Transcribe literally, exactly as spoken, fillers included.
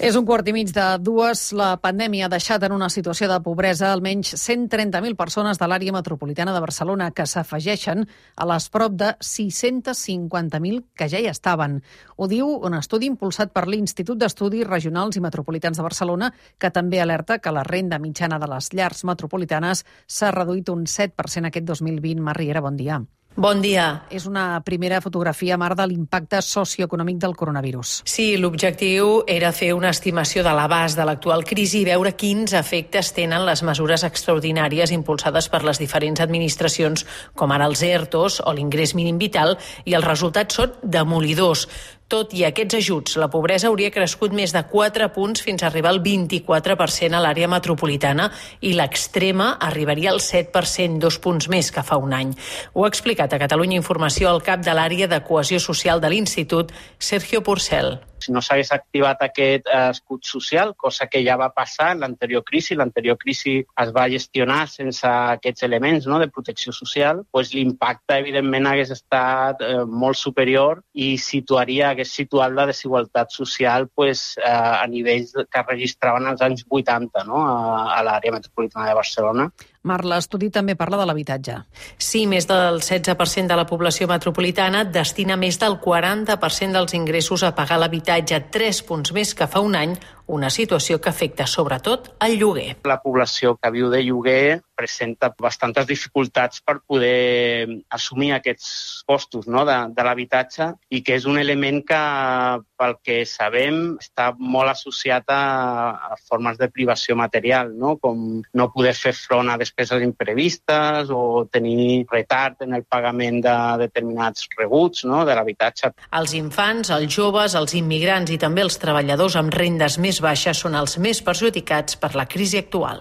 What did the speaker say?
És un quart i mig de dues. La pandèmia ha deixat en una situació de pobresa almenys cent trenta mil persones de l'àrea metropolitana de Barcelona, que s'afegeixen a les prop de sis-cents cinquanta mil que ja hi estaven. Ho diu un estudi impulsat per l'Institut d'Estudis Regionals i Metropolitans de Barcelona, que també alerta que la renda mitjana de les llars metropolitanes s'ha reduït un set per cent aquest dos mil vint. Mar Riera, bon dia. Bon dia. És una primera fotografia, Mar, de l'impacte socioeconòmic del coronavirus. Sí, l'objectiu era fer una estimació de l'abast de l'actual crisi i veure quins efectes tenen les mesures extraordinàries impulsades per les diferents administracions, com ara els ERTOs o l'ingrés mínim vital, i els resultats són demolidors. Tot i aquests ajuts, la pobresa hauria crescut més de quatre punts fins a arribar al vint-i-quatre per cent a l'àrea metropolitana i l'extrema arribaria al set per cent, dos punts més que fa un any. Ho ha explicat a Catalunya Informació el cap de l'àrea de cohesió social de l'Institut, Sergio Porcel. Si no s'hagués activat aquest escut social, cosa que ja va passar en l'anterior crisi, l'anterior crisi es va gestionar sense aquests elements, no, de protecció social, doncs l'impacte evidentment hagués estat eh, molt superior i situaria, hagués situat la desigualtat social pues, eh, a nivells que registraven als anys vuitanta, no, a, a l'àrea metropolitana de Barcelona. Mar, l'estudi també parla de l'habitatge. Sí, més del setze per cent de la població metropolitana destina més del quaranta per cent dels ingressos a pagar l'habitatge, tres punts més que fa un any, una situació que afecta sobretot el lloguer. La població que viu de lloguer presenta bastantes dificultats per poder assumir aquests costos, no, de, de l'habitatge, i que és un element que, pel que sabem, està molt associat a, a formes de privació material, no, com no poder fer front a despeses imprevistes o tenir retard en el pagament de determinats rebuts, no, de l'habitatge. Els infants, els joves, els immigrants i també els treballadors amb rendes més baixes són els més perjudicats per la crisi actual.